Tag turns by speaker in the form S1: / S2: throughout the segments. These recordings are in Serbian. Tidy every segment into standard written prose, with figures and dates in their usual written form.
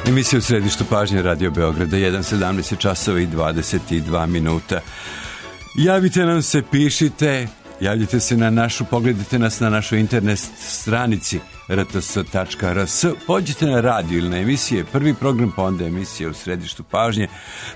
S1: Emisija u središtu pažnje Radio Beograda, 1:17 časova i 22 minuta. Javite nam se, pišite, javljite se na našu, pogledajte nas na našoj internet stranici rts.rs, pođite na radio ili na emisije, prvi program, pa onda emisija u središtu pažnje,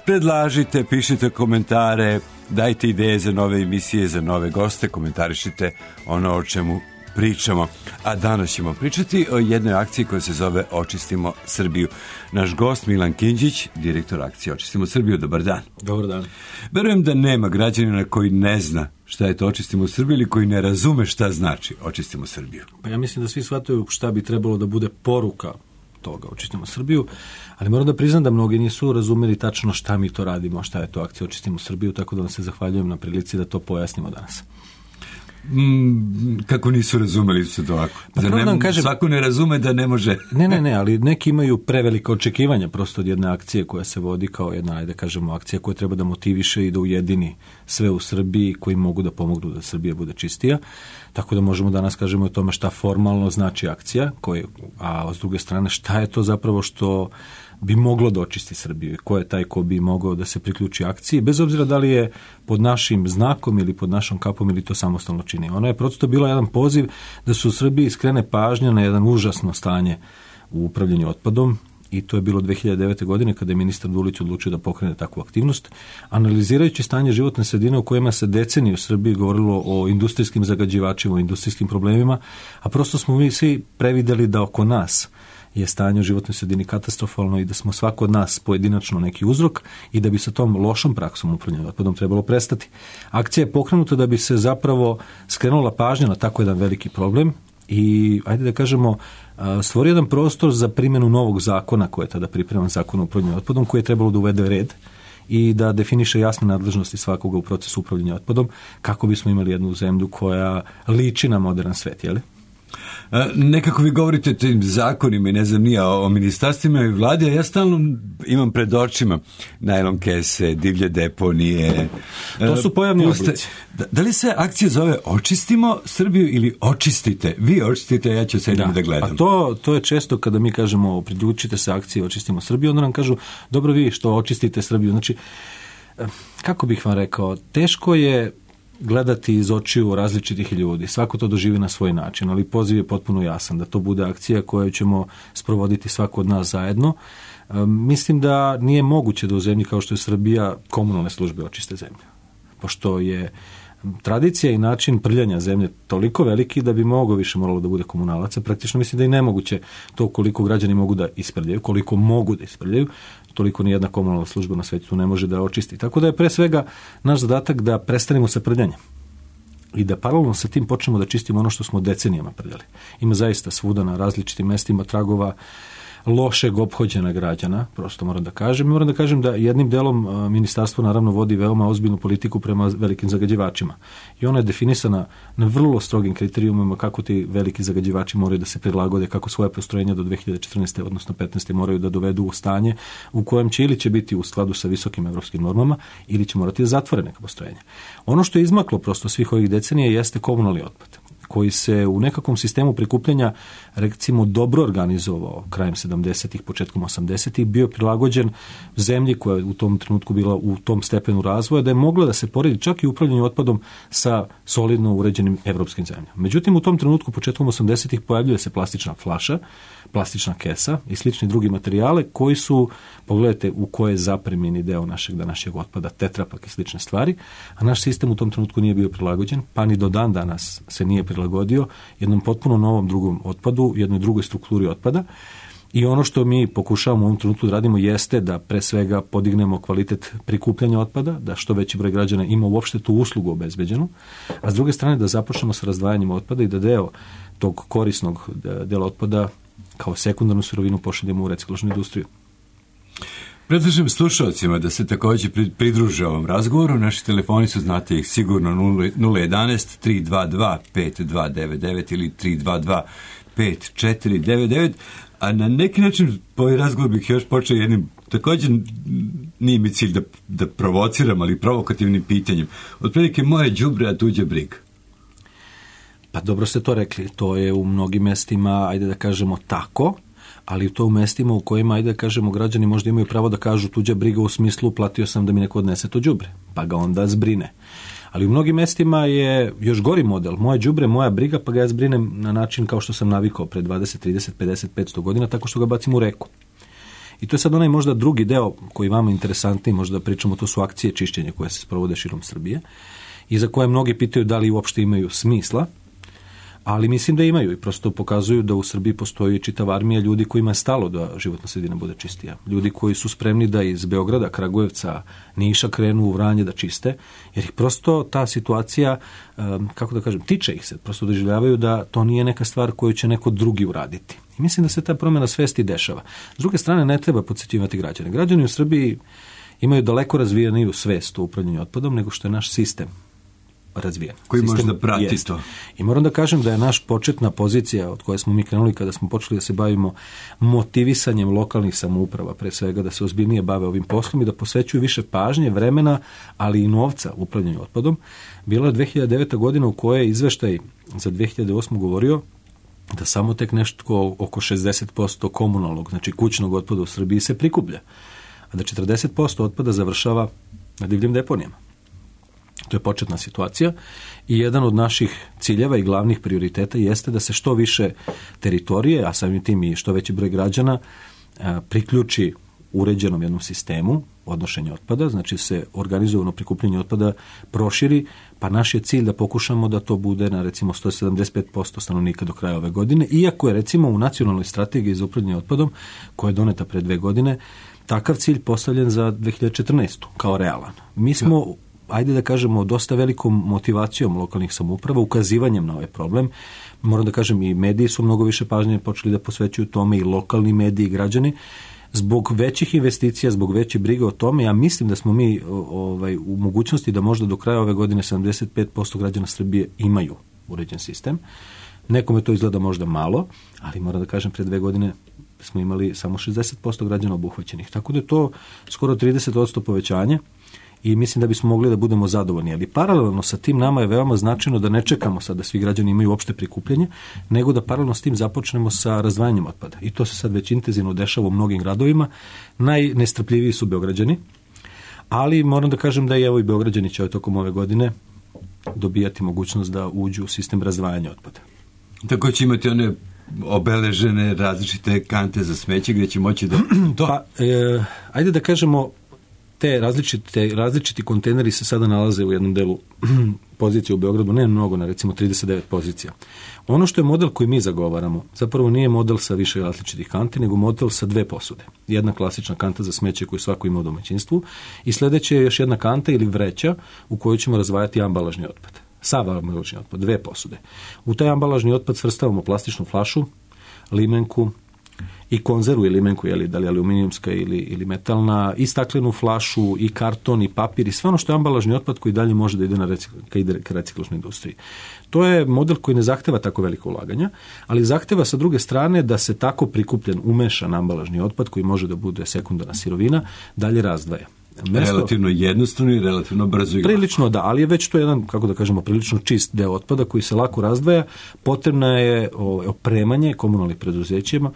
S1: predlažite, pišite komentare, dajte ideje za nove emisije, za nove goste, komentarišite ono o čemu pričamo. A danas ćemo pričati o jednoj akciji koja se zove Očistimo Srbiju. Naš gost Milan Kinđić, direktor akcije Očistimo Srbiju. Dobar dan.
S2: Dobar dan.
S1: Verujem da nema građanina koji ne zna šta je to Očistimo Srbiju ili koji ne razume šta znači Očistimo Srbiju.
S2: Pa ja mislim da svi shvataju šta bi trebalo da bude poruka toga Očistimo Srbiju, ali moram da priznam da mnogi nisu razumeli tačno šta mi to radimo, šta je to akcija Očistimo Srbiju, tako da vam se zahvaljujem na prilici da to pojasnimo danas.
S1: Kako nisu razumeli se to ovako? Svako ne razume da ne može.
S2: Ne, ali neki imaju prevelike očekivanja prosto od jedne akcije koja se vodi kao jedna, ajde kažemo, akcija koja treba da motiviše i da ujedini sve u Srbiji koji mogu da pomognu da Srbija bude čistija. Tako da možemo danas kažemo o tome šta formalno znači akcija, a s druge strane šta je to zapravo što bi moglo da očisti Srbiju i ko je taj ko bi mogao da se priključi akciji, bez obzira da li je pod našim znakom ili pod našom kapom ili to samostalno čini. Ono je prosto bilo jedan poziv da se u Srbiji skrene pažnja na jedan užasno stanje u upravljanju otpadom i to je bilo 2009. godine kada je ministar Dulić odlučio da pokrene takvu aktivnost, analizirajući stanje životne sredine u kojima se decenije u Srbiji govorilo o industrijskim zagađivačima, o industrijskim problemima, a prosto smo mi svi prevideli da oko nas je stanje u životnoj sredini katastrofalno i da smo svako od nas pojedinačno neki uzrok i da bi sa tom lošom praksom upravljanja otpadom trebalo prestati. Akcija je pokrenuta da bi se zapravo skrenula pažnja na tako jedan veliki problem i, ajde da kažemo, stvorio jedan prostor za primjenu novog zakona koji je tada pripreman, zakon o upravljanju otpadom, koji je trebalo da uvede red i da definiše jasne nadležnosti svakoga u procesu upravljanja otpadom kako bismo imali jednu zemlju koja liči na modern svet, jel?
S1: Nekako vi govorite o tim zakonima i ne znam nije o ministarstvima i vladi, a ja stalno imam pred očima najlon kese, divlje deponije.
S2: To su pojavni oblici.
S1: Da li se akcija zove Očistimo Srbiju ili Očistite? Vi očistite, ja ću sedim da gledam.
S2: Pa to je često kada mi kažemo priključite se akciji Očistimo Srbiju, onda nam kažu dobro vi što očistite Srbiju. Znači, kako bih vam rekao, teško je gledati iz očiju različitih ljudi. Svako to doživi na svoj način, ali poziv je potpuno jasan da to bude akcija koju ćemo sprovoditi svako od nas zajedno. Mislim da nije moguće da u zemlji kao što je Srbija komunalne službe očiste zemlju. Pošto je tradicija i način prljanja zemlje toliko veliki da bi mnogo više moralo da bude komunalaca. Praktično mislim da je nemoguće to koliko građani mogu da isprljaju, koliko mogu da isprljaju, toliko nijedna komunalna služba na svetu ne može da očisti. Tako da je pre svega naš zadatak da prestanemo sa prljanjem i da paralelno sa tim počnemo da čistimo ono što smo decenijama prljali. Ima zaista svuda na različitim mestima tragova lošeg ophođenja građana, prosto moram da kažem. Moram da kažem da jednim delom ministarstvo naravno vodi veoma ozbiljnu politiku prema velikim zagađivačima. I ona je definisana na vrlo strogim kriterijumima kako ti veliki zagađivači moraju da se prilagode, kako svoje postrojenja do 2014. odnosno 15. moraju da dovedu u stanje u kojem će ili će biti u skladu sa visokim evropskim normama ili će morati da zatvore neka postrojenja. Ono što je izmaklo prosto svih ovih decenija jeste komunalni otpad, koji se u nekakvom sistemu prikupljanja recimo dobro organizovao krajem 70-ih, početkom 80-ih, bio prilagođen zemlji koja je u tom trenutku bila u tom stepenu razvoja da je mogla da se poredi čak i upravljanje otpadom sa solidno uređenim evropskim zemljama. Međutim, u tom trenutku početkom 80-ih pojavljuje se plastična flaša, plastična kesa i slični drugi materijale koji su, pogledajte u koje je zapremljeni deo našeg današnjeg otpada, tetrapak i slične stvari, a naš sistem u tom trenutku nije bio prilagođen, pa ni do dan danas se nije prilagodio jednom potpuno novom drugom otpadu, jednoj drugoj strukturi otpada. I ono što mi pokušavamo u ovom trenutku da radimo jeste da pre svega podignemo kvalitet prikupljanja otpada, da što veći broj građana ima uopšte tu uslugu obezbeđenu, a s druge strane da započnemo sa razdvajanjem otpada i da deo tog korisnog dela otpada kao sekundarnu sirovinu pošaljemo u reciklažnu industriju.
S1: Predlažem slušalcima da se također pridruže ovom razgovoru. Naši telefoni su, znate ih sigurno, 011-322-5299 ili 322-5499, a na neki način po ovaj razgovor bih još počeo jednim, također nije mi cilj da provociram, ali provokativnim pitanjem. Otprilike moje đubre, a tuđe briga.
S2: Pa dobro ste to rekli, to je u mnogim mestima, ajde da kažemo tako, ali to u mestima u kojima, ajde da kažemo, građani možda imaju pravo da kažu tuđa briga u smislu platio sam da mi neko odnese to đubre, pa ga onda zbrine. Ali u mnogim mestima je još gori model. Moje đubre, moja briga, pa ga ja zbrinem na način kao što sam navikao pre 20, 30, 50, 500 godina, tako što ga bacim u reku. I to je sad onaj možda drugi deo koji vama interesantniji, možda pričamo, to su akcije čišćenja koje se sprovode širom Srbije i za koje mnogi pitaju da li uopšte imaju smisla, ali mislim da imaju i prosto pokazuju da u Srbiji postoji čitava armija ljudi kojima je stalo da životna sredina bude čistija. Ljudi koji su spremni da iz Beograda, Kragujevca, Niša krenu u Vranje da čiste, jer ih prosto ta situacija, kako da kažem, tiče ih se, prosto doživljavaju da to nije neka stvar koju će neko drugi uraditi. I mislim da se ta promjena svesti dešava. S druge strane, ne treba podsjećivati građane. Građani u Srbiji imaju daleko razvijeniju svest o upravljanju otpadom nego što je naš sistem razvijen.
S1: Koji može da prati to.
S2: I moram da kažem da je naš početna pozicija od koje smo mi krenuli kada smo počeli da se bavimo motivisanjem lokalnih samouprava, pre svega da se ozbiljnije bave ovim poslom i da posvećuju više pažnje, vremena, ali i novca upravljanju otpadom. Bila je 2009. godina u kojoj je izveštaj za 2008. govorio da samo tek nešto oko 60% komunalnog, znači kućnog otpada u Srbiji se prikuplja, a da 40% otpada završava na divljim deponijama. To je početna situacija i jedan od naših ciljeva i glavnih prioriteta jeste da se što više teritorije, a samim tim i što veći broj građana priključi uređenom jednom sistemu odnošenja otpada, znači se organizovano prikupljanje otpada proširi, pa naš je cilj da pokušamo da to bude na recimo 175% stanovnika do kraja ove godine, iako je recimo u nacionalnoj strategiji za upravljanje otpadom, koja je doneta pre 2 godine, takav cilj postavljen za 2014. kao realan. Mi smo ajde da kažemo, dosta velikom motivacijom lokalnih samouprava, ukazivanjem na ovaj problem. Moram da kažem, i mediji su mnogo više pažnje počeli da posvećuju tome, i lokalni mediji i građani. Zbog većih investicija, zbog veće brige o tome, ja mislim da smo mi u mogućnosti da možda do kraja ove godine 75% građana Srbije imaju uređen sistem. Nekome to izgleda možda malo, ali moram da kažem, pre 2 godine smo imali samo 60% građana obuhvaćenih. Tako da je to skoro 30% povećanje. I mislim da bismo mogli da budemo zadovoljni. Ali paralelno sa tim nama je veoma značajno da ne čekamo sad da svi građani imaju opšte prikupljanje, nego da paralelno s tim započnemo sa razdvajanjem otpada. I to se sad već intenzivno dešava u mnogim gradovima. Najnestrpljiviji su Beograđani, ali moram da kažem da i evo i Beograđani će tokom ove godine dobijati mogućnost da uđu u sistem razdvajanja otpada.
S1: Tako će imati one obeležene različite kante za smeće gdje će moći da...
S2: Ajde da kažemo, te različiti kontejneri se sada nalaze u jednom delu pozicije u Beogradu, ne mnogo, na recimo 39 pozicija. Ono što je model koji mi zagovaramo, zapravo nije model sa više različitih kanti, nego model sa 2 posude. Jedna klasična kanta za smeće koju svako ima u domaćinstvu i sljedeća je još jedna kanta ili vreća u kojoj ćemo razvajati ambalažni otpad. Sav ambalažni otpad, 2 posude. U taj ambalažni otpad svrstavamo plastičnu flašu, limenku, i konzervu i limenku, da li aluminijumska ili metalna, i staklenu flašu, i karton, i papir, i sve ono što je ambalažni otpad koji dalje može da ide ka reciklažnoj industriji. To je model koji ne zahteva tako veliko ulaganja, ali zahteva sa druge strane da se tako prikupljen, umešan ambalažni otpad, koji može da bude sekundarna sirovina, dalje razdvaja.
S1: Relativno jednostavno i relativno brzo.
S2: Prilično da, ali je već to jedan, kako da kažemo, prilično čist deo otpada koji se lako razdvaja. Potrebno je opremanje komunalnih preduzećima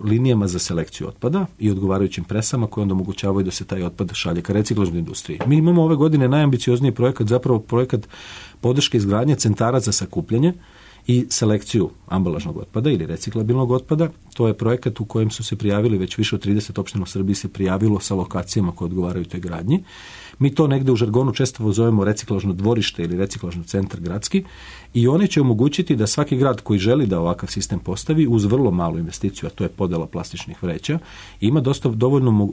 S2: linijama za selekciju otpada i odgovarajućim presama koje onda omogućavaju da se taj otpad šalje ka reciklažnoj industriji. Mi imamo ove godine najambiciozniji projekat, zapravo projekat podrške izgradnje centara za sakupljanje i selekciju ambalažnog otpada ili reciklabilnog otpada. To je projekat u kojem su se prijavili već više od 30 opština u Srbiji se prijavilo sa lokacijama koje odgovaraju toj gradnji. Mi to negde u žargonu često zovemo reciklažno dvorište ili reciklažni centar gradski i oni će omogućiti da svaki grad koji želi da ovakav sistem postavi uz vrlo malu investiciju, a to je podela plastičnih vreća, ima dosta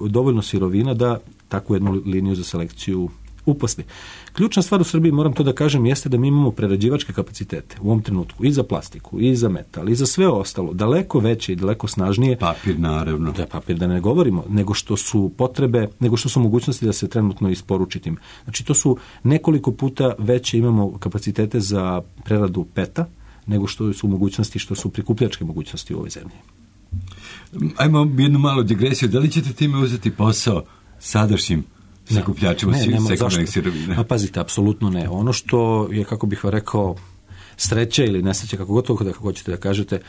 S2: dovoljno sirovina da takvu jednu liniju za selekciju uposli. Ključna stvar u Srbiji, moram to da kažem, jeste da mi imamo prerađivačke kapacitete u ovom trenutku i za plastiku, i za metal, i za sve ostalo, daleko veće i daleko snažnije.
S1: Papir, naravno.
S2: Da, papir da ne govorimo, nego što su potrebe, nego što su mogućnosti da se trenutno isporuči tim. Znači, to su nekoliko puta veće imamo kapacitete za preradu peta, nego što su mogućnosti, što su prikupljačke mogućnosti u ovoj zemlji.
S1: Ajmo jednu malu digresiju. Da li ćete time uzeti posao sadašnjim sakupljačima sekundarnih sirovina?
S2: Pa pazite, apsolutno ne. Ono što je, kako bih vam rekao, sreća ili nesreća, kako gotovo kako hoćete da kažete,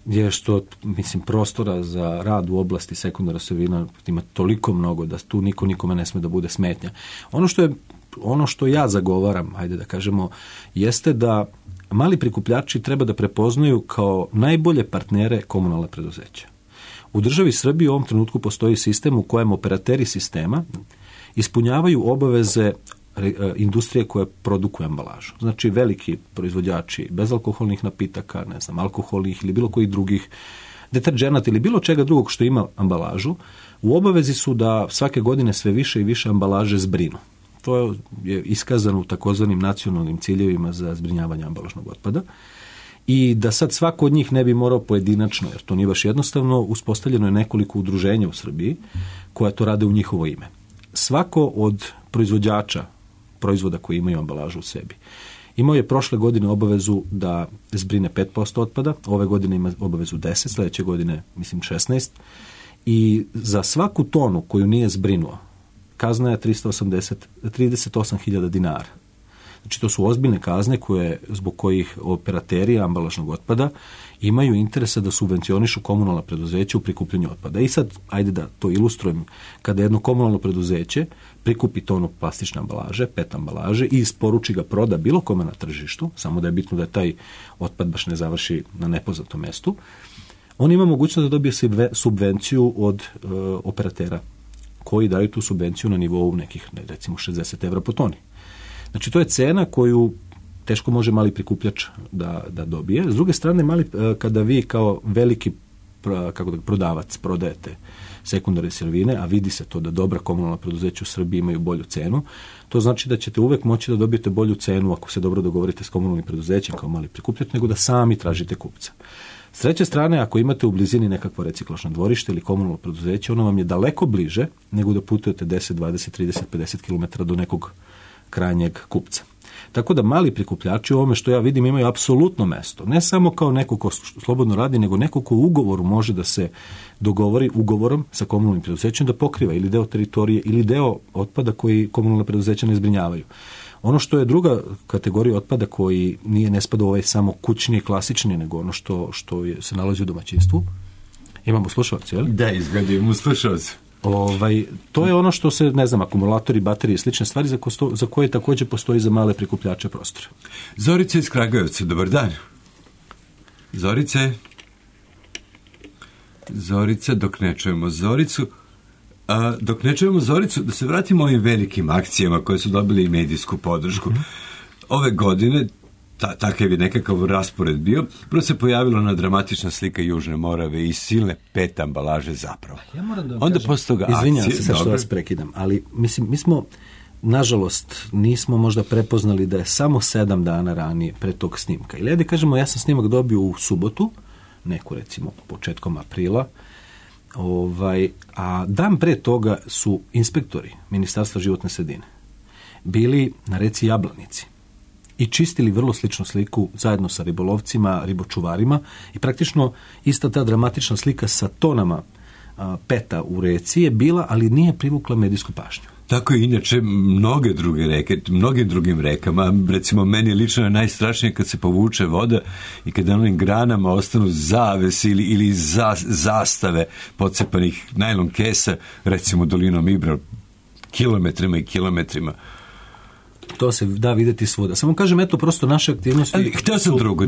S2: je što, mislim, prostora za rad u oblasti sekundarna sirovina ima toliko mnogo da tu niko nikome ne sme da bude smetnja. Ono što ja zagovaram, ajde da kažemo, jeste da mali prikupljači treba da prepoznaju kao najbolje partnere komunalne preduzeća. U državi Srbiji u ovom trenutku postoji sistem u kojem operateri sistema ispunjavaju obaveze industrije koje produkuje ambalažu. Znači veliki proizvođači bezalkoholnih napitaka, ne znam, alkoholnih ili bilo kojih drugih deterdženata ili bilo čega drugog što ima ambalažu, u obavezi su da svake godine sve više i više ambalaže zbrinu. To je iskazano u takozvanim nacionalnim ciljevima za zbrinjavanje ambalažnog otpada. I da sad svako od njih ne bi morao pojedinačno, jer to nije baš jednostavno, uspostavljeno je nekoliko udruženja u Srbiji koja to rade u njihovo ime. Svako od proizvođača proizvoda koji imaju ambalažu u sebi imao je prošle godine obavezu da zbrine 5% otpada, ove godine ima obavezu 10%, sljedeće godine mislim 16%, i za svaku tonu koju nije zbrinuo kazna je 38.000 dinara. Znači to su ozbiljne kazne zbog kojih operateri ambalažnog otpada imaju interesa da subvencionišu komunalna preduzeća u prikupljanju otpada. I sad, ajde da to ilustrujem, kada jedno komunalno preduzeće prikupi tonu plastične ambalaže, PET ambalaže i isporuči ga, proda bilo kome na tržištu, samo da je bitno da taj otpad baš ne završi na nepoznatom mestu, on ima mogućnost da dobije subvenciju od operatera koji daju tu subvenciju na nivou nekih, recimo 60 evra po toni. Znači, to je cena koju teško može mali prikupljač da dobije. S druge strane, kada vi kao veliki prodavac prodajete sekundarne sirovine, a vidi se to da dobra komunalna preduzeća u Srbiji imaju bolju cenu, to znači da ćete uvek moći da dobijete bolju cenu ako se dobro dogovorite s komunalnim preduzećem kao mali prikupljač, nego da sami tražite kupca. S treće strane, ako imate u blizini nekakvo reciklažno dvorište ili komunalno preduzeće, ono vam je daleko bliže nego da putujete 10, 20, 30, 50 km do nekog krajnjeg kupca. Tako da mali prikupljači u ovome što ja vidim imaju apsolutno mesto. Ne samo kao neko ko slobodno radi, nego neko ko u ugovoru može da se dogovori ugovorom sa komunalnim preduzećem da pokriva ili deo teritorije ili deo otpada koji komunalna preduzeća ne zbrinjavaju. Ono što je druga kategorija otpada koji ne spada u ovaj samo kućni i klasični, nego ono što se nalazi u domaćinstvu. Imamo slušalce, je li?
S1: Da, izgledamo slušalce.
S2: To je ono što se, ne znam, akumulatori, baterije i slične stvari za koje također postoji za male prikupljače prostora.
S1: Zorica iz Kragujevca, dobar dan. Zorica, dok ne čujemo Zoricu, da se vratimo ovim velikim akcijama koje su dobili i medijsku podršku. Ove godine, takav je nekakav raspored bio, prvo se pojavila ona dramatična slika Južne Morave i silne PET ambalaže zapravo.
S2: Ja moram da vam
S1: onda
S2: kažem,
S1: posle toga
S2: izvinjam
S1: akcije,
S2: se sad što vas prekidam, ali mislim, mi smo, nažalost, nismo možda prepoznali da je samo 7 dana ranije pre tog snimka. Ili da kažemo, ja sam snimak dobio u subotu, neku recimo početkom aprila, a dan pre toga su inspektori Ministarstva životne sredine bili na reci Jablanici i čistili vrlo sličnu sliku zajedno sa ribolovcima, ribočuvarima i praktično ista ta dramatična slika sa tonama peta u reci je bila, ali nije privukla medijsku pažnju.
S1: Tako je inače mnoge druge reke, mnogim drugim rekama. Recimo, meni lično je najstrašnije kad se povuče voda i kad na onim granama ostanu zavesi ili zastave pocepanih najlon kesa, recimo dolinom Ibra, kilometrima i kilometrima.
S2: To se da vidjeti svuda. Samo kažem, eto, prosto naše aktivnosti...
S1: Ali htio sam drugo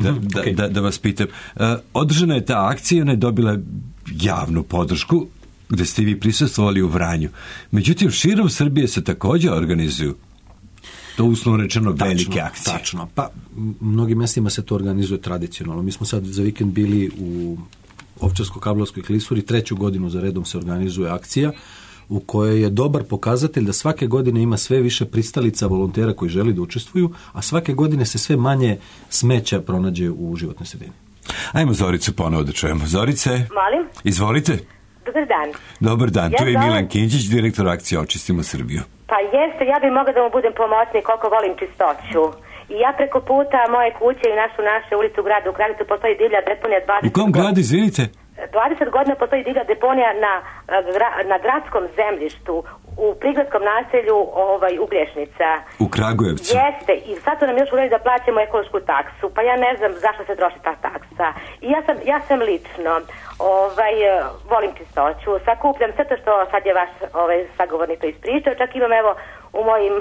S1: da vas pitam. Održana je ta akcija, ona je dobila javnu podršku, gde ste vi prisustvovali u Vranju. Međutim, širom Srbije se također organizuju to uslovno rečeno velike akcije.
S2: Tačno. Pa, mnogim mjestima se to organizuje tradicionalno. Mi smo sad za vikend bili u Ovčarsko-Kablarskoj klisuri, 3. godinu za redom se organizuje akcija u kojoj je dobar pokazatelj da svake godine ima sve više pristalica volontera koji želi da učestvuju, a svake godine se sve manje smeća pronađe u životnoj sredini.
S1: Ajmo Zoricu ponovo da čujemo. Zorice,
S3: molim?
S1: Izvolite.
S3: Dobar dan.
S1: Dobar dan, tu je Milan Kinčić, direktor akcije Očistimo Srbiju.
S3: Pa jeste, ja bih mogla da mu budem pomoćnik koliko volim čistoću. I ja preko puta moje kuće i naše ulicu u gradu, u Kragujevcu postoji divlja deponija 20
S1: U kom gradu, izvinite?
S3: 20 godina postoji divlja deponija na gradskom zemljištu u prigradskom naselju Uglješnica.
S1: U Kragujevcu?
S3: Jeste, i sad su nam još uvijek da plaćamo ekološku taksu, pa ja ne znam zašto se troši ta taksa. I ja sam lično, volim čistoću, sakupljam sve to što sad je vaš sagovornik to ispričao, čak imam evo u mojim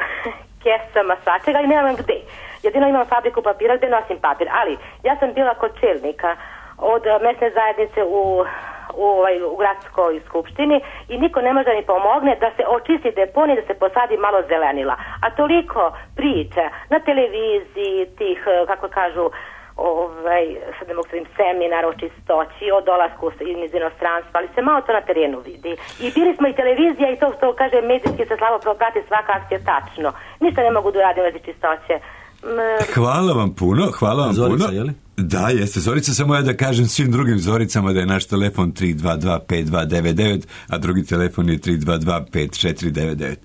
S3: kesama svačega i nemam gde. Jedino imam fabriku papira gde nosim papir, ali ja sam bila kod čelnika od mesne zajednice u gradskoj skupštini i niko ne može mi pomogne da se očisti deponij, da se posadi malo zelenila. A toliko priča na televiziji tih, kako kažu, sad ne mogu se seminar o čistoći, o dolasku iz inostranstva, ali se malo to na terenu vidi. I bili smo i televizija i to što kaže medijski se slabo prati svaka akcija tačno. Ništa ne mogu da uradim u vezi čistoće.
S1: Hvala vam puno.
S2: Zorica, je li?
S1: Da, jeste Zorica, samo ja da kažem svim drugim Zoricama da je naš telefon 322-5299, a drugi telefon je 322-5499.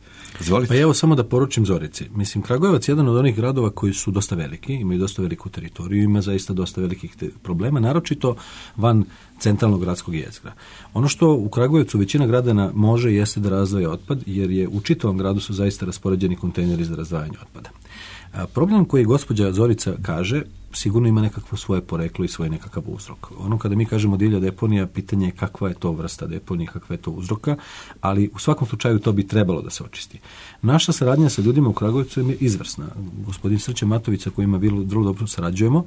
S1: Izvolite.
S2: Pa evo samo da poručim Zorici. Mislim, Kragujevac je jedan od onih gradova koji su dosta veliki, imaju dosta veliku teritoriju, ima zaista dosta velikih problema, naročito van centralnog gradskog jezgra. Ono što u Kragujevcu većina gradana može jeste da razdvaja otpad, jer je u čitavom gradu su zaista raspoređeni kontejneri za razdvajanje otpada. Problem koji gospođa Zorica kaže sigurno ima nekakvo svoje poreklo i svoj nekakav uzrok. Ono kada mi kažemo divlja deponija, pitanje je kakva je to vrsta deponije, kakva je to uzroka, ali u svakom slučaju to bi trebalo da se očisti. Naša saradnja sa ljudima u Kragujevcu je izvrsna. Gospodin Srće Matović, sa kojima vrlo dobro sarađujemo,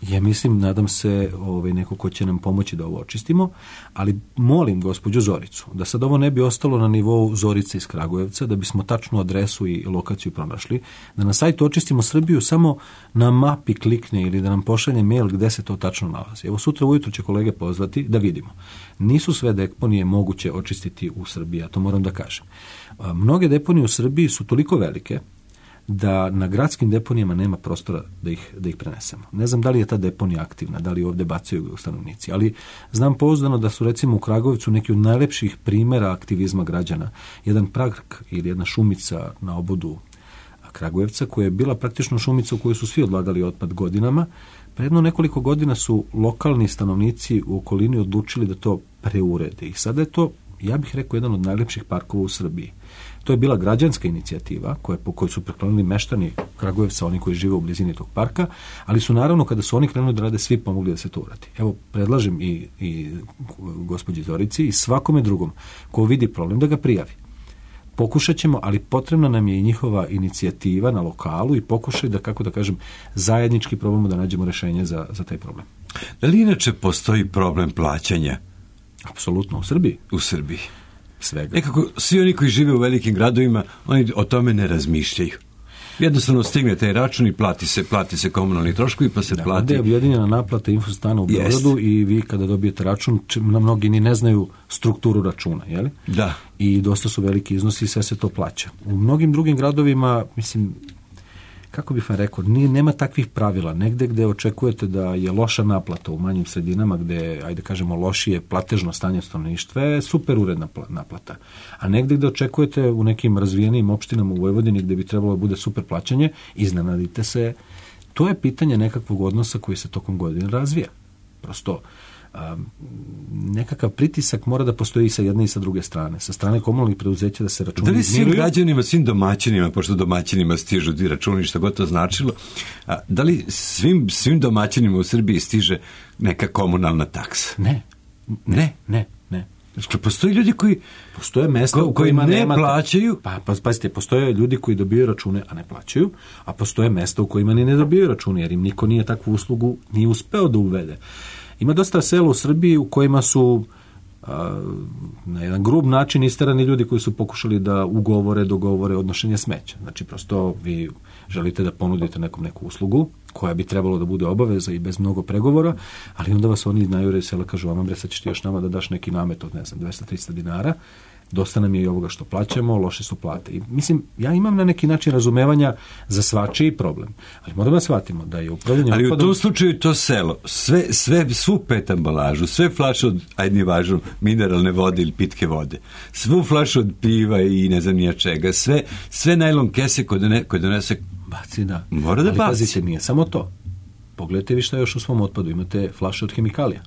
S2: ja mislim, nadam se, neko ko će nam pomoći da ovo očistimo, ali molim gospođu Zoricu da sad ovo ne bi ostalo na nivou Zorice iz Kragujevca, da bismo tačnu adresu i lokaciju pronašli, da na sajtu Očistimo Srbiju samo na mapi klikne ili da nam pošalje mail gde se to tačno nalazi. Evo sutra ujutro će kolege pozvati da vidimo. Nisu sve deponije moguće očistiti u Srbiji, ja to moram da kažem. Mnoge deponije u Srbiji su toliko velike da na gradskim deponijama nema prostora da ih prenesemo. Ne znam da li je ta deponija aktivna, da li ovdje bacaju stanovnici, ali znam pouzdano da su recimo u Kragujevcu neki od najlepših primjera aktivizma građana. Jedan park ili jedna šumica na obodu Kragujevca, koja je bila praktično šumica u kojoj su svi odlagali otpad godinama. Predno nekoliko godina su lokalni stanovnici u okolini odlučili da to preurede. I sada je to, ja bih rekao, jedan od najlepših parkova u Srbiji. To je bila građanska inicijativa po kojoj su preklonili meštani Kragujevca, oni koji žive u blizini tog parka, ali su naravno kada su oni krenuli da rade, svi pomogli da se to uradi. Evo, predlažem i gospođi Zorici i svakome drugom ko vidi problem da ga prijavi. Pokušat ćemo, ali potrebna nam je i njihova inicijativa na lokalu i pokušaj da, kako da kažem, zajednički probamo da nađemo rešenje za taj problem.
S1: Da li inače postoji problem plaćanja?
S2: Apsolutno, u Srbiji.
S1: U Srbiji.
S2: Svega.
S1: Nekako, svi oni koji žive u velikim gradovima, oni o tome ne razmišljaju. Jednostavno stigne taj račun i plati se komunalni troškovi, pa se plati.
S2: Ovdje je objedinjena naplata Infostana u Beogradu i vi kada dobijete račun, mnogi ni ne znaju strukturu računa, je li?
S1: Da.
S2: I dosta su veliki iznosi i sve se to plaća. U mnogim drugim gradovima, mislim, kako bih vam rekao, nema takvih pravila. Negde gde očekujete da je loša naplata u manjim sredinama, gde, ajde kažemo, lošije platežno stanje stanovništva, je super uredna naplata. A negde gde očekujete u nekim razvijenim opštinama u Vojvodini gde bi trebalo da bude super plaćanje, iznenadite se. To je pitanje nekakvog odnosa koji se tokom godine razvija. Prosto, nekakav pritisak mora da postoji sa jedne i sa druge strane. Sa strane komunalnih preduzeća da se računi
S1: izmiruju. Da li svim građanima, svim domaćinima, pošto domaćinima stižu ti računi, što god to značilo, da li svim domaćinima u Srbiji stiže neka komunalna taksa?
S2: Ne.
S1: Što postoji ljudi koji
S2: postoje mesta u kojima
S1: ne plaćaju.
S2: Pa pazite, postoje ljudi koji dobijaju račune, a ne plaćaju, a postoje mesta u kojima ni ne dobijaju račune, jer im niko nije takvu uslugu nije uspeo da uvede. Ima dosta sela u Srbiji u kojima su na jedan grub način isterani ljudi koji su pokušali da dogovore odnošenje smeća. Znači, prosto vi želite da ponudite neku uslugu koja bi trebalo da bude obaveza i bez mnogo pregovora, ali onda vas oni najure sela kažu, vam bre, sad ćeš ti još nama da daš neki namet od, 200-300 dinara, dosta nam je i ovoga što plaćamo, loše su plate. I mislim, ja imam na neki način razumevanja za svačiji problem, ali moramo da shvatimo da je upravljanje
S1: ali u tom slučaju to selo, svu pet ambalažu, sve flaše od, ajde važno, mineralne vode ili pitke vode, svu flašu od piva i ne znam nija čega, sve najlon kese koje donese
S2: baci, da.
S1: Mora da
S2: ali
S1: baci.
S2: Pazite, nije samo to. Pogledajte vi šta još u svom otpadu. Imate flaše od hemikalija.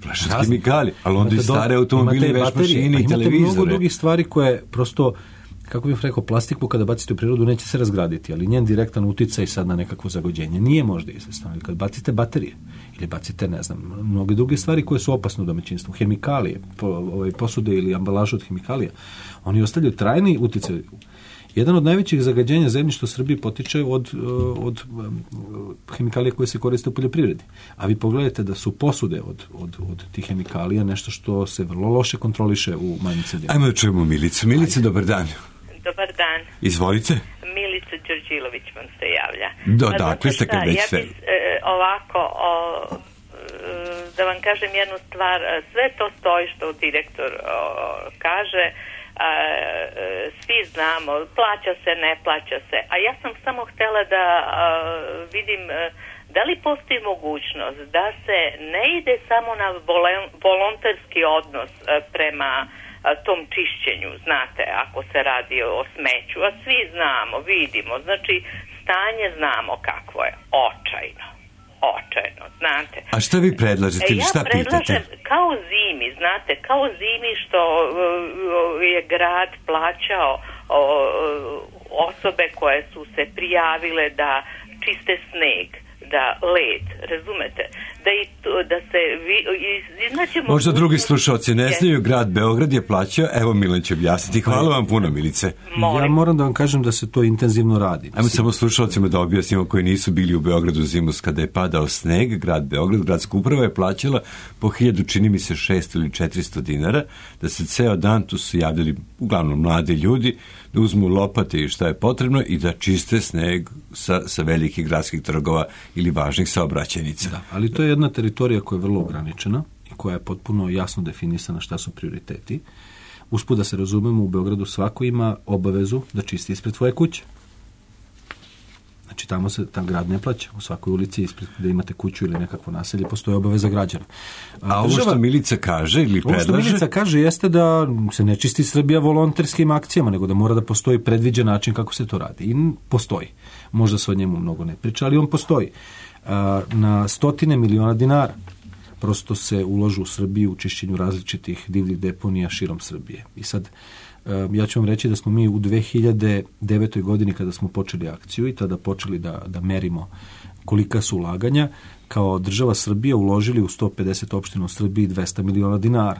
S1: Flaše od hemikalija, ali onda i stare automobili, veš mašine i televizore.
S2: Imate mnogo drugih stvari koje prosto, kako bih rekao, plastiku kada bacite u prirodu neće se razgraditi, ali njen direktan uticaj sad na nekakvo zagođenje nije možda izvesno. Kad bacite baterije ili bacite, ne znam, mnoge druge stvari koje su opasne u domaćinstvu, hemikalije, posude ili ambalažu od hemikalija, oni ostavljaju trajni uticaj. Jedan od najvećih zagađenja zemljišta u Srbiji potiče od hemikalija koje se koriste u poljoprivredi. A vi pogledajte da su posude od tih hemikalija nešto što se vrlo loše kontroliše u manjim sredinama.
S1: Ajmo da čujemo Milicu. Milice, dobar dan.
S4: Dobar dan.
S1: Izvolite.
S4: Milica Đorđilović vam se javlja.
S1: Dakle ste kad već sve.
S4: Ja bih ovako, da vam kažem jednu stvar, sve to stoji što direktor kaže, svi znamo, plaća se, ne plaća se, a ja sam samo htjela da vidim da li postoji mogućnost da se ne ide samo na volonterski odnos prema tom čišćenju, znate, ako se radi o smeću, a svi znamo, vidimo, znači stanje znamo kakvo je, očajno, znate.
S1: A šta vi predlažete ili šta pitate? Ja predlažem
S4: kao zimi, znate, kao zimi što je grad plaćao osobe koje su se prijavile da čiste sneg, da led, razumete, da se iznaćemo...
S1: Možda drugi slušalci ne znaju, grad Beograd je plaćao, evo Milan će objasniti. Hvala vam puno, Milice.
S2: Ja moram da vam kažem da se to intenzivno radi.
S1: Ajmo samo slušalcima da objasnimo koji nisu bili u Beogradu zimus kada je padao sneg, grad Beograd, gradska uprava je plaćala po 1000, čini mi se 600 ili 400 dinara, da se ceo dan tu su javljali uglavnom mladi ljudi, da uzmu lopate i šta je potrebno i da čiste sneg sa velikih gradskih trgova ili važnih saobraćajnica.
S2: Da, ali to je jedna teritorija koja je vrlo ograničena i koja je potpuno jasno definisana šta su prioriteti. Usput da se razumemo, u Beogradu svako ima obavezu da čisti ispred svoje kuće. Znači tamo se tam grad ne plaća. U svakoj ulici ispred gde imate kuću ili nekakvo naselje postoji obaveza građana.
S1: A ovo što Milica kaže ili predlaže?
S2: Ovo što Milica kaže jeste da se ne čisti Srbija volonterskim akcijama, nego da mora da postoji predviđen način kako se to radi. I postoji. Možda se o njemu mnogo ne priča, ali on postoji. Na stotine miliona dinara prosto se ulažu u Srbiju u čišćenju različitih divljih deponija širom Srbije. I sad, ja ću vam reći da smo mi u 2009. godini kada smo počeli akciju i tada počeli da merimo kolika su ulaganja, kao država Srbija uložili u 150 opština u Srbiji 200 miliona dinara.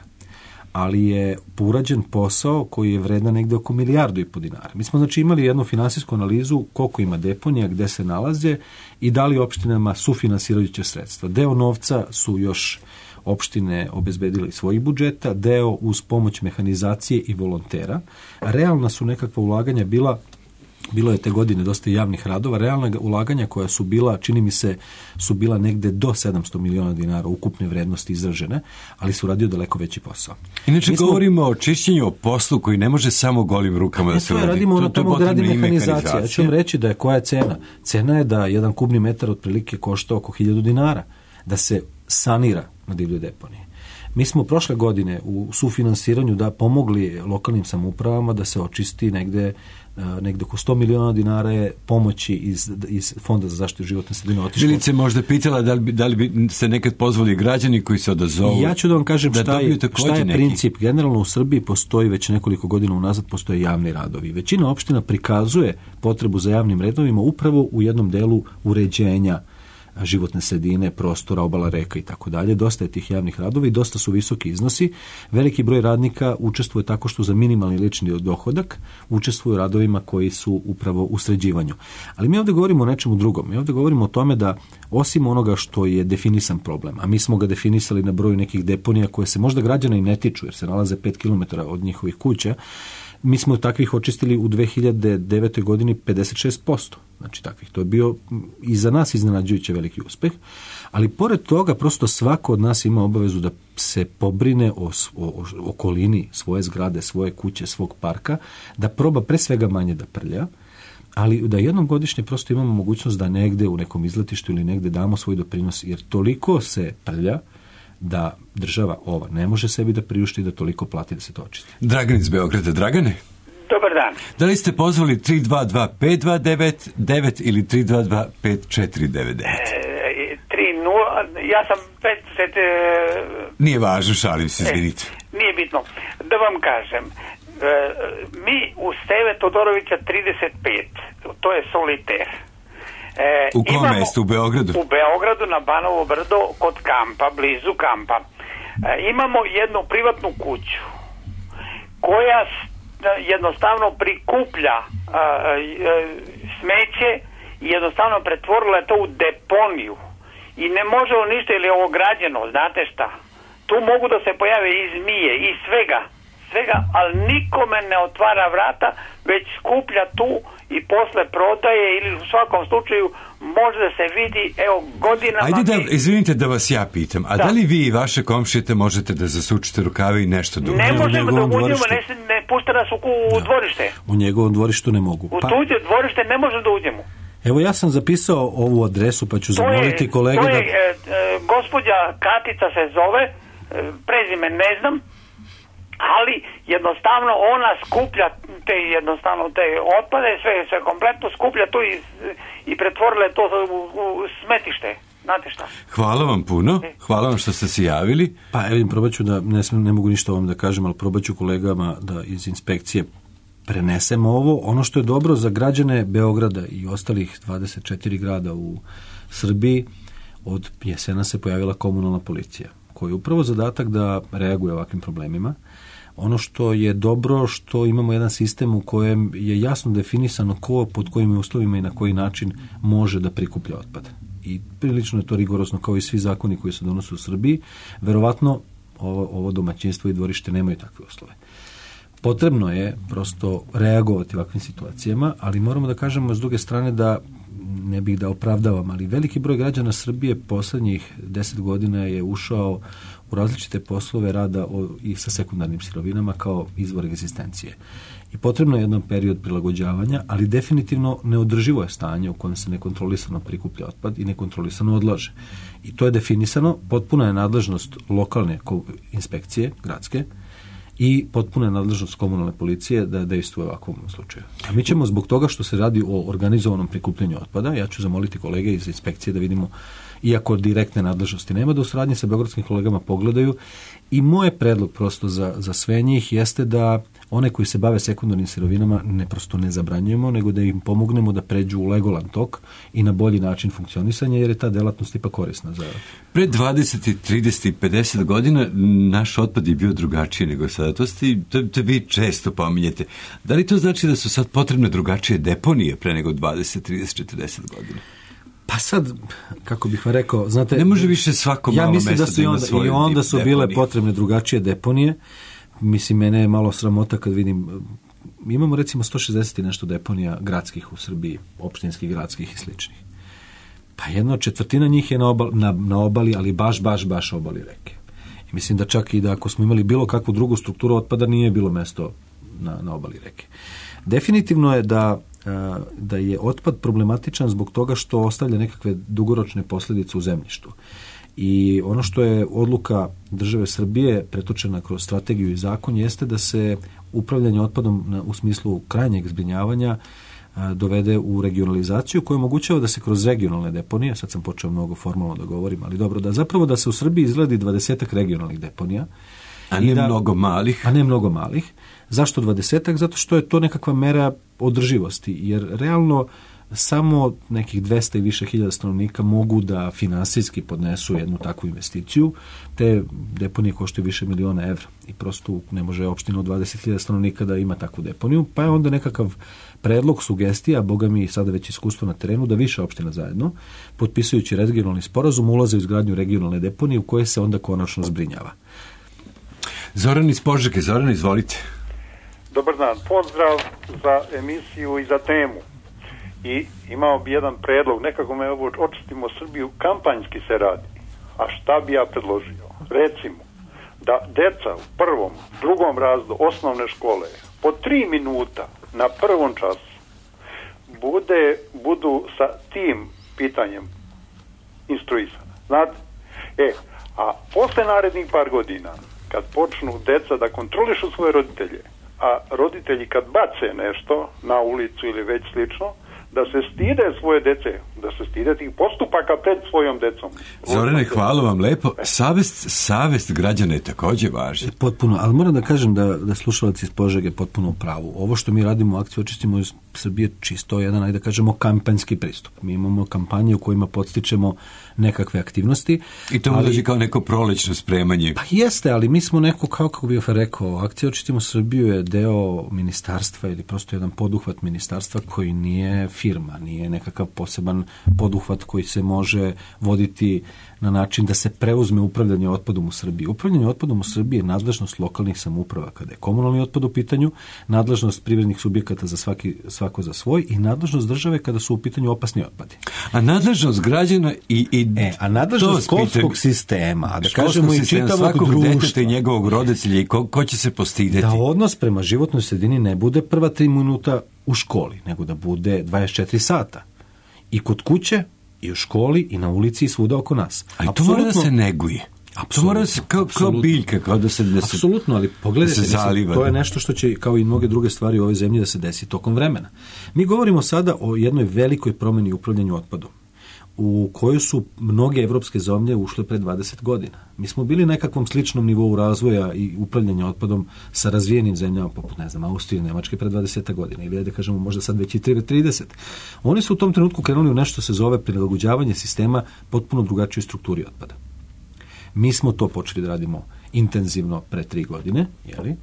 S2: Ali je urađen posao koji je vredan negde oko 1,5 milijardu dinara. Mi smo znači imali jednu finansijsku analizu koliko ima deponija, gde se nalaze i da li opštinama sufinansirajuće sredstva. Deo novca su još opštine obezbedile iz svojih budžeta, deo uz pomoć mehanizacije i volontera. Realna su nekakva ulaganja bilo je te godine dosta javnih radova, realna ulaganja koja su bila, čini mi se, su bila negde do 700 miliona dinara ukupne vrednosti izražene, ali su radio daleko veći posao.
S1: Inače govorimo o čišćenju, o poslu koji ne može samo golim rukama da se uradi.
S2: Radimo ono tamo gde radi mehanizacija. Ja ću vam reći da je koja je cena. Cena je da jedan kubni metar otprilike košta oko 1000 dinara da se sanira na divljoj deponiji. Mi smo prošle godine u sufinansiranju da pomogli lokalnim samoupravama da se očisti negde oko 100 miliona dinara je pomoći iz Fonda za zaštitu životne sredine otišlo.
S1: Milice možda pitala da li bi se nekad pozvali građani koji se odazovu.
S2: Ja ću da vam kažem šta je princip. Generalno u Srbiji postoji već nekoliko godina unazad postoje javni radovi. Većina opština prikazuje potrebu za javnim redovima upravo u jednom delu uređenja životne sredine, prostora, obala reka i tako dalje. Dosta je tih javnih radova i dosta su visoki iznosi. Veliki broj radnika učestvuje tako što za minimalni lični dohodak učestvuju u radovima koji su upravo u sređivanju. Ali mi ovdje govorimo o nečemu drugom. Mi ovdje govorimo o tome da osim onoga što je definisan problem, a mi smo ga definisali na broju nekih deponija koje se možda građana i ne tiču jer se nalaze 5 km od njihovih kuća, mi smo takvih očistili u 2009. godini 56%. Znači takvih. To je bio i za nas iznenađujuće veliki uspeh. Ali pored toga prosto svako od nas ima obavezu da se pobrine o okolini svoje zgrade, svoje kuće, svog parka, da proba pre svega manje da prlja, ali da jednom godišnje prosto imamo mogućnost da negde u nekom izletištu ili negde damo svoj doprinos, jer toliko se prlja da država ova ne može sebi da priušti da toliko plati da se to očisti.
S1: Dragan iz Beograda. Dragane?
S5: Dobar dan.
S1: Da li ste pozvali 322-529-9 ili 322-5499?
S5: 3-0 ja sam 50...
S1: Nije važno, šalim se, izvinite.
S5: Nije bitno. Da vam kažem, mi u Steve Todorovića 35, to je soliter.
S1: U kom mestu? U Beogradu?
S5: U Beogradu, na Banovo brdo, kod kampa, blizu kampa. Imamo jednu privatnu kuću koja jednostavno prikuplja smeće i jednostavno pretvorila je to u deponiju. I ne može ništa, ili je ovo građeno, znate šta? Tu mogu da se pojave i zmije i svega, ali nikome ne otvara vrata, već skuplja tu i posle prodaje, ili u svakom slučaju može da se vidi, evo, godinama...
S1: Ajde izvinite da vas ja pitam, a da li vi i vaše komšije možete da zasučite rukave i nešto da
S5: ne možemo da uđemo, ne pušta nas u dvorište.
S2: U njegovom dvorištu ne mogu.
S5: U tuđe dvorište ne možemo da uđemo.
S2: Evo, ja sam zapisao ovu adresu, pa ću zamoliti kolege da...
S5: Gospođa Katica se zove, prezime ne znam, ali jednostavno ona skuplja te otpade, sve kompletno skuplja tu i pretvorila to u smetište. Znate šta?
S1: Hvala vam puno, hvala vam što ste se javili.
S2: Pa evo, probat ću da, ne mogu ništa ovom da kažem, ali probat ću kolegama da iz inspekcije prenesemo ovo. Ono što je dobro za građane Beograda i ostalih 24 grada u Srbiji, od jesena se pojavila komunalna policija, koji je upravo zadatak da reaguje ovakvim problemima. Ono što je dobro, što imamo jedan sistem u kojem je jasno definisano ko, pod kojim uslovima i na koji način može da prikuplja otpad. I prilično je to rigorozno kao i svi zakoni koji se donose u Srbiji. Verovatno ovo domaćinstvo i dvorište nemaju takve uslove. Potrebno je prosto reagovati u ovakvim situacijama, ali moramo da kažemo s druge strane da, ne bih da opravdavam, ali veliki broj građana Srbije poslednjih 10 godina je ušao u različite poslove rada i sa sekundarnim sirovinama kao izvor egzistencije. I potrebno je jedan period prilagođavanja, ali definitivno neodrživo je stanje u kojem se nekontrolisano prikuplja otpad i nekontrolisano odlaže. I to je definisano, potpuna je nadležnost lokalne inspekcije, gradske, i potpuna je nadležnost komunalne policije da dejstvuje u ovakvom slučaju. A mi ćemo zbog toga što se radi o organizovanom prikupljanju otpada, ja ću zamoliti kolege iz inspekcije da vidimo, iako direktne nadležnosti nema, da u saradnji sa beogradskim kolegama pogledaju. I moj predlog prosto za sve njih jeste da one koji se bave sekundarnim sirovinama ne zabranjujemo, nego da im pomognemo da pređu u legalan tok i na bolji način funkcionisanja, jer je ta delatnost ipak korisna za...
S1: Pre 20, 30 i 50 godina naš otpad je bio drugačiji nego sada. To vi često pominjete. Da li to znači da su sad potrebne drugačije deponije pre nego 20, 30, 40 godina?
S2: Pa sad, kako bih vam rekao, znate...
S1: Ne može više svako malo mesto da ima svoju deponiju.
S2: I onda su bile potrebne drugačije deponije. Mislim, mene je malo sramota kad vidim, imamo recimo 160 i nešto deponija gradskih u Srbiji, opštinskih, gradskih i sličnih. Pa 1/4 njih je na obali, ali baš obali reke. I mislim da čak i da ako smo imali bilo kakvu drugu strukturu otpada, nije bilo mesto na obali reke. Definitivno je da je otpad problematičan zbog toga što ostavlja nekakve dugoročne posljedice u zemljištu. I ono što je odluka države Srbije pretočena kroz strategiju i zakon jeste da se upravljanje otpadom u smislu krajnjeg zbrinjavanja dovede u regionalizaciju koja omogućava da se kroz regionalne deponije, sad sam počeo mnogo formalno da govorim, ali dobro, da se u Srbiji izgradi 20 regionalnih deponija.
S1: A ne mnogo malih.
S2: Zašto 20? Zato što je to nekakva mera održivosti, jer realno samo nekih 200 i više hiljada stanovnika mogu da finansijski podnesu jednu takvu investiciju. Te deponije koštaju više miliona evra i prosto ne može opština od 20.000 stanovnika da ima takvu deponiju, pa je onda nekakav predlog, sugestija, boga mi sada već iskustvo na terenu, da više opština zajedno, potpisujući regionalni sporazum, ulaze u izgradnju regionalne deponije u koje se onda konačno zbrinjava.
S1: Zoran iz Požege. Zoran, izvolite.
S6: Dobar dan, pozdrav za emisiju i za temu. I imao bi jedan predlog, nekako me ovo očistimo Srbiju, kampanjski se radi. A šta bi ja predložio? Recimo, da deca u prvom, drugom razredu osnovne škole po 3 minuta na prvom času budu sa tim pitanjem instruisana. Znate? A posle narednih par godina, kad počnu deca da kontrolišu svoje roditelje, a roditelji kad bace nešto na ulicu ili već slično, da se stide svoje dece, da se stide tih postupaka pred svojom decom.
S1: Zorane, hvala vam lepo. Savest građana je također važna.
S2: Potpuno, ali moram da kažem da slušalac iz Požege je potpuno u pravu. Ovo što mi radimo u akciji Očistimo Srbije čisto jedan, ajde da kažemo, kampanjski pristup. Mi imamo kampanje u kojima podstičemo nekakve aktivnosti.
S1: I to dođe kao neko prolećno spremanje.
S2: Pa jeste, ali mi smo neko, kako bih rekao, akcija Očistimo Srbiju je deo ministarstva ili prosto jedan poduhvat ministarstva koji nije firma, nije nekakav poseban poduhvat koji se može voditi na način da se preuzme upravljanje otpadom u Srbiji. Upravljanje otpadom u Srbiji je nadležnost lokalnih samouprava kada je komunalni otpad u pitanju, nadležnost privrednih subjekata za svako za svoj i nadležnost države kada su u pitanju opasni otpadi.
S1: A nadležnost građana
S2: a nadležnost školskog sistema, a da kažemo i čitavog društva
S1: i njegovog roditelja i ko će se postideti.
S2: Da odnos prema životnoj sredini ne bude prva 3 minuta u školi, nego da bude 24 sata. I kod kuće, i u školi, i na ulici, i svuda oko nas.
S1: Ali to mora da se neguje. To mora da se kao biljka, kao da se
S2: apsolutno, ali pogledajte, to je nešto što će, kao i mnoge druge stvari u ovoj zemlji, da se desi tokom vremena. Mi govorimo sada o jednoj velikoj promjeni u upravljanju otpadom, u kojoj su mnoge evropske zemlje ušle pre 20 godina. Mi smo bili na nekakvom sličnom nivou razvoja i upravljanja otpadom sa razvijenim zemljama, poput, ne znam, Austrije i Nemačke pre 20 godina, ili da kažemo možda sad već i 30. Oni su u tom trenutku krenuli u nešto se zove prilagođavanje sistema potpuno drugačijoj strukturi otpada. Mi smo to počeli da radimo intenzivno pre 3 godine, jeli?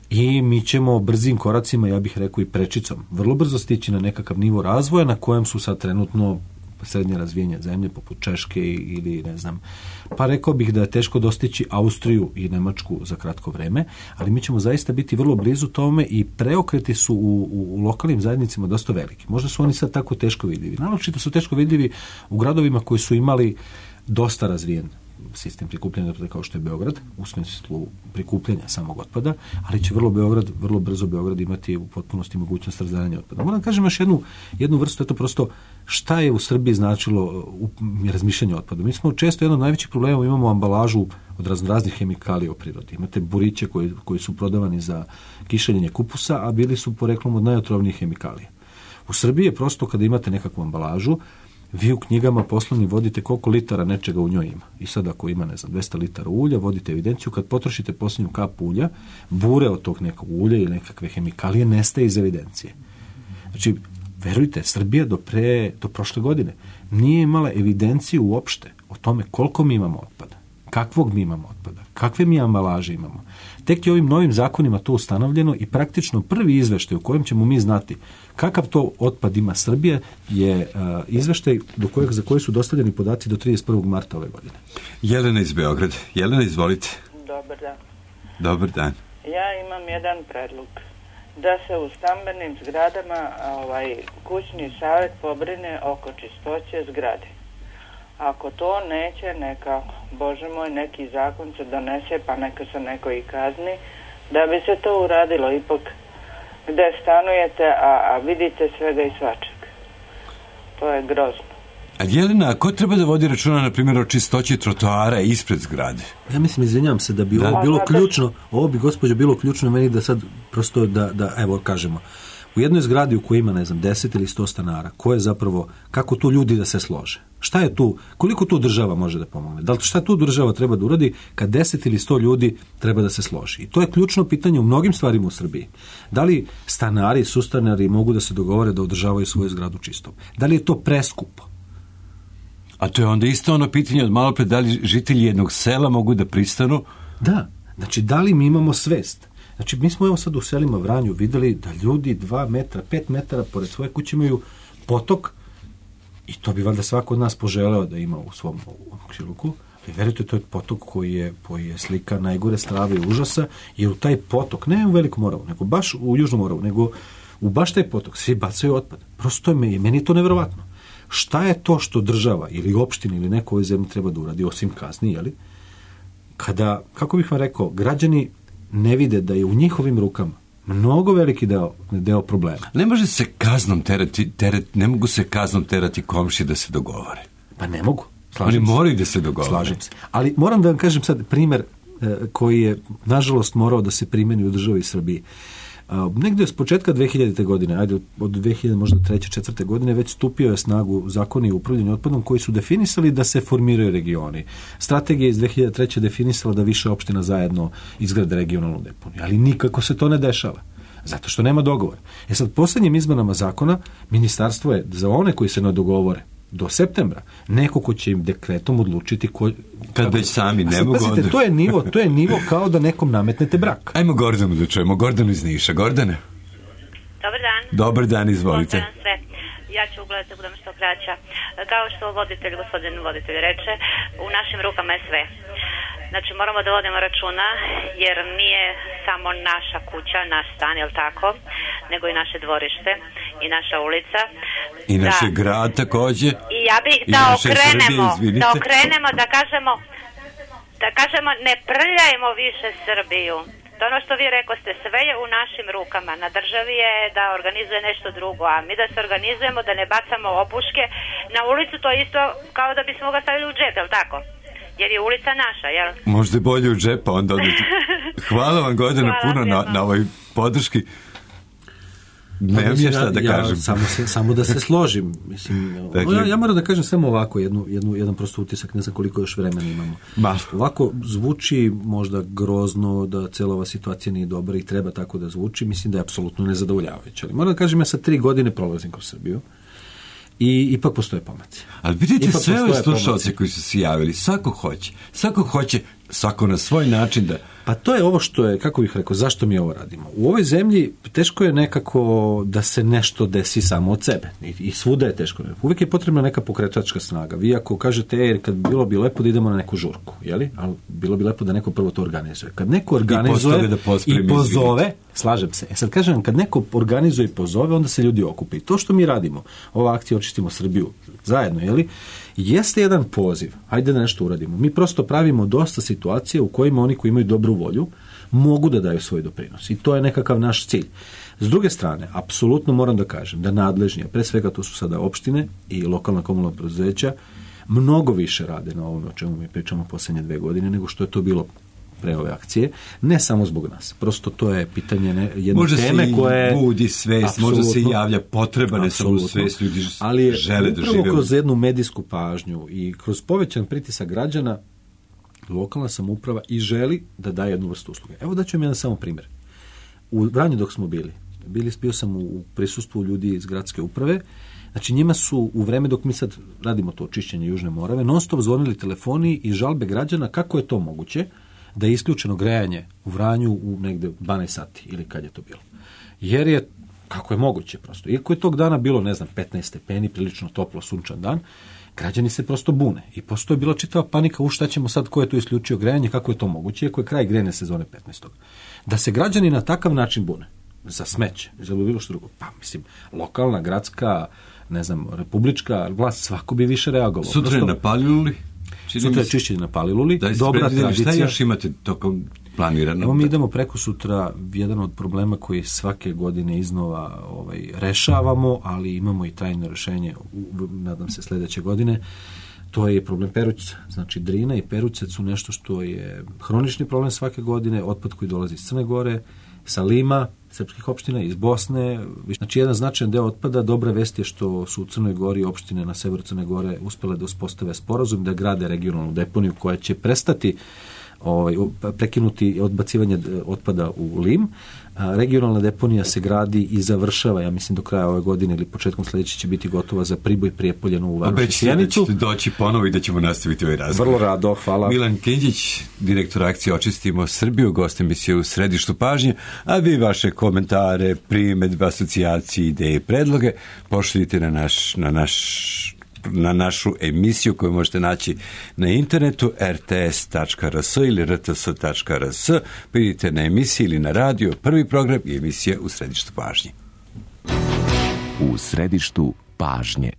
S2: I mi ćemo brzim koracima, ja bih rekao i prečicom, vrlo brzo stići na nekakav nivo razvoja na kojem su sad trenutno srednje razvijenje zemlje poput Češke ili ne znam. Pa rekao bih da je teško dostići Austriju i Nemačku za kratko vreme, ali mi ćemo zaista biti vrlo blizu tome i preokreti su u lokalnim zajednicama dosta veliki. Možda su oni sad tako teško vidljivi. Naročito su teško vidljivi u gradovima koji su imali dosta razvijen sistem prikupljanja otpada kao što je Beograd, u smislu prikupljanja samog otpada, ali će vrlo brzo Beograd imati u potpunosti mogućnost razdvajanja otpada. Moram da kažem još jednu vrstu, eto prosto šta je u Srbiji značilo razmišljanje o otpadu. Mi smo često jedan od najvećih problema, imamo ambalažu od raznih hemikalija u prirodi. Imate buriće koji su prodavani za kišeljenje kupusa, a bili su poreklom od najotrovnijih hemikalija. U Srbiji je prosto kada imate nekakvu ambalažu, vi u knjigama poslovnim vodite koliko litara nečega u njoj ima. I sad ako ima, ne znam, 200 litara ulja, vodite evidenciju, kad potrošite posljednju kap ulja, bure od tog nekog ulja ili nekakve hemikalije nestaje iz evidencije. Znači, verujte, Srbija do prošle godine nije imala evidenciju uopšte o tome koliko mi imamo otpada, kakvog mi imamo otpada, kakve mi ambalaže imamo. Tek je ovim novim zakonima to ustanovljeno i praktično prvi izveštaj u kojem ćemo mi znati kakav to otpad ima Srbija je izveštaj za koji su dostavljeni podaci do 31. marta ove godine.
S1: Jelena iz Beograda. Jelena, izvolite.
S7: Dobar dan.
S1: Dobar dan.
S7: Ja imam jedan predlog. Da se u stambenim zgradama kućni savjet pobrine oko čistoće zgrade. Ako to neće, neka, Bože moj, neki zakon se donese, pa neka se neko i kazni, da bi se to uradilo ipak gde stanujete, a vidite svega i svačega. To je grozno.
S1: A Jelena, ko treba da vodi računa, na primjer, o čistoći trotoara ispred zgrade?
S2: Ja mislim, izvinjam se, da bi ovo bilo ključno, ovo bi, gospođo, bilo ključno meni da sad prosto da evo kažemo, u jednoj zgradi u kojoj ima, ne znam, 10 ili 100 stanara, kako tu ljudi da se slože? Šta je tu, koliko tu država može da pomogne? Da li šta tu država treba da uradi kad 10 ili 100 ljudi treba da se složi? I to je ključno pitanje u mnogim stvarima u Srbiji. Da li stanari, sustanari mogu da se dogovore da održavaju svoju zgradu čistom? Da li je to preskupo?
S1: A to je onda isto ono pitanje od malo pre, da li žitelji jednog sela mogu da pristanu?
S2: Da, znači da li mi imamo svest? Znači mi smo evo sad u selima Vranju videli da ljudi 2 metra, 5 metara pored svoje kuće imaju potok i to bi valjda svako od nas poželeo da ima u svom komšiluku. Ali verujte, to je potok koji je slika najgore strave i užasa, jer u taj potok, ne u Velikom Moravu, nego baš u Južnom Moravu, nego u baš taj potok svi bacaju otpad. Prosto meni je to nevjerovatno. Šta je to što država ili opština ili neko u ovoj zemlji treba da uradi, osim kazni, jeli? Kada, kako bih vam rekao, građani ne vide da je u njihovim rukama mnogo veliki deo problema.
S1: Ne može se kaznom ne mogu se kaznom terati komšije da se dogovore.
S2: Pa ne mogu.
S1: Oni moraju da se dogovore.
S2: Slažem se. Ali moram da vam kažem sad primjer koji je, nažalost, morao da se primeni u državi Srbiji. Negdje s početka 2000. godine, ajde od 2000 možda 3. 4. godine, već stupio je snagu zakoni o upravljanju otpadom koji su definisali da se formiraju regioni. Strategija iz 2003. definisala da više opština zajedno izgrade regionalnu deponiju, ali nikako se to ne dešava. Zato što nema dogovora. Sad, posljednjim izmenama zakona, ministarstvo je za one koji se ne dogovore do septembra, neko ko će im dekretom odlučiti
S1: kad već sami ne mogu.
S2: Pazite, to je nivo kao da nekom nametnete brak.
S1: Ajmo Gordanu da čujemo. Gordanu iz Niša. Gordane?
S4: Dobar dan.
S1: Dobar dan, izvolite.
S4: Ja ću ugledati da budem što kraća. Kao što gospodin voditelj reče, u našim rukama je sve. Znači, moramo da vodimo računa, jer nije samo naša kuća, naš stan, jel tako, nego i naše dvorište i naša ulica.
S1: I naš grad također.
S4: I ja bih da okrenemo, da kažemo ne prljajmo više Srbiju. To ono što vi rekoste, sve je u našim rukama. Na državi je da organizuje nešto drugo, a mi da se organizujemo, da ne bacamo opuške na ulicu, to je isto kao da bismo ga stavili u džep, jel tako? Jer je ulica naša, jel?
S1: Možda bolje u džepa, onda odete. Hvala vam, Gordana, puno na ovoj podrški. Nemam je šta da kažem.
S2: Samo da se složim. Mislim, ja moram da kažem samo ovako, jedan prosto utisak, ne znam koliko još vremena imamo. Ovako zvuči možda grozno da cijela ova situacija nije dobra i treba tako da zvuči, mislim da je apsolutno nezadovoljavajuće. Ali moram da kažem, ja sa 3 godine prolazim kroz Srbiju i ipak postoje pomaci.
S1: Ali vidite sve ove slušalce koji su se javili, svako hoće, svako na svoj način da...
S2: Pa to je ovo što je, kako bih rekao, zašto mi ovo radimo. U ovoj zemlji teško je nekako da se nešto desi samo od sebe. I svuda je teško. Uvijek je potrebna neka pokretačka snaga. Vi ako kažete, kad bilo bi lepo da idemo na neku žurku, jeli? Ali bilo bi lepo da neko prvo to organizuje. Kad neko organizuje i pozove, slažem se. Sad kažem, kad neko organizuje i pozove, onda se ljudi okupe. I to što mi radimo, ova akcija Očistimo Srbiju, zajedno, jeli? Jeste jedan poziv, hajde da nešto uradimo. Mi prosto pravimo dosta situacije u kojima oni koji imaju dobru volju mogu da daju svoj doprinos. I to je nekakav naš cilj. S druge strane, apsolutno moram da kažem da nadležnije, pre svega to su sada opštine i lokalna komunalna preduzeća, mnogo više rade na ovome o čemu mi pričamo posljednje 2 godine nego što je to bilo pre ove akcije, ne samo zbog nas. Prosto to je pitanje jedne teme koje...
S1: Možda se budi svest, možda se javlja potreba, ne samo svest, ljudi žele da žive.
S2: Ali upravo kroz jednu medijsku pažnju i kroz povećan pritisak građana, lokalna samouprava i želi da daje jednu vrstu usluge. Evo da ću vam jedan samo primjer. U Vranju dok smo bio sam u prisustvu ljudi iz gradske uprave. Znači njima su u vreme dok mi sad radimo to očišćenje Južne Morave non stop zvonili telefoni i žalbe građana kako je to moguće da je isključeno grejanje u Vranju u negde 12 sati ili kad je to bilo. Jer je, kako je moguće prosto, iako je tog dana bilo, 15 stepeni, prilično toplo, sunčan dan, građani se prosto bune. I postoji bila čitava panika, šta ćemo sad, ko je tu isključio grejanje, kako je to moguće, iako je kraj grejne sezone 15. Da se građani na takav način bune, za smeće, za bilo što drugo, pa mislim, lokalna, gradska, republička vlast, svako bi više reagovalo.
S1: Sutra je na Paliluli?
S2: Sutra je čišćenje na Paliluli, dobra tradicija.
S1: Šta još imate tokom planirano?
S2: Evo mi idemo preko sutra, jedan od problema koji svake godine iznova rešavamo, ali imamo i trajno rešenje, nadam se sljedeće godine, to je problem Perućca. Znači Drina i Perućac su nešto što je hronični problem svake godine, otpad koji dolazi iz Crne Gore, sa Lima, srpskih opština, iz Bosne. Znači jedan značajan deo otpada. Dobra vest je što su u Crnoj Gori opštine na severu Crne Gore uspjele da uspostave sporazum da grade regionalnu deponiju koja će prestati prekinuti odbacivanje otpada u Lim. Regionalna deponija se gradi i završava, ja mislim do kraja ove godine ili početkom sljedeće će biti gotova za Priboj, Prijepolje, Novu Varoš i Sjenicu.
S1: Da ćete doći ponovo i da ćemo nastaviti ovaj razgovor.
S2: Vrlo rado, hvala.
S1: Milan Kinđić, direktor akcije Očistimo Srbiju, gost emisije U središtu pažnje, a vi vaše komentare, primedbe, asocijacije, ideje i predloge pošaljite na našu emisiju koju možete naći na internetu rts.rs ili rts.rs. Vidite na emisiji ili na radio prvi program i emisija U središtu pažnje.
S8: U središtu pažnje.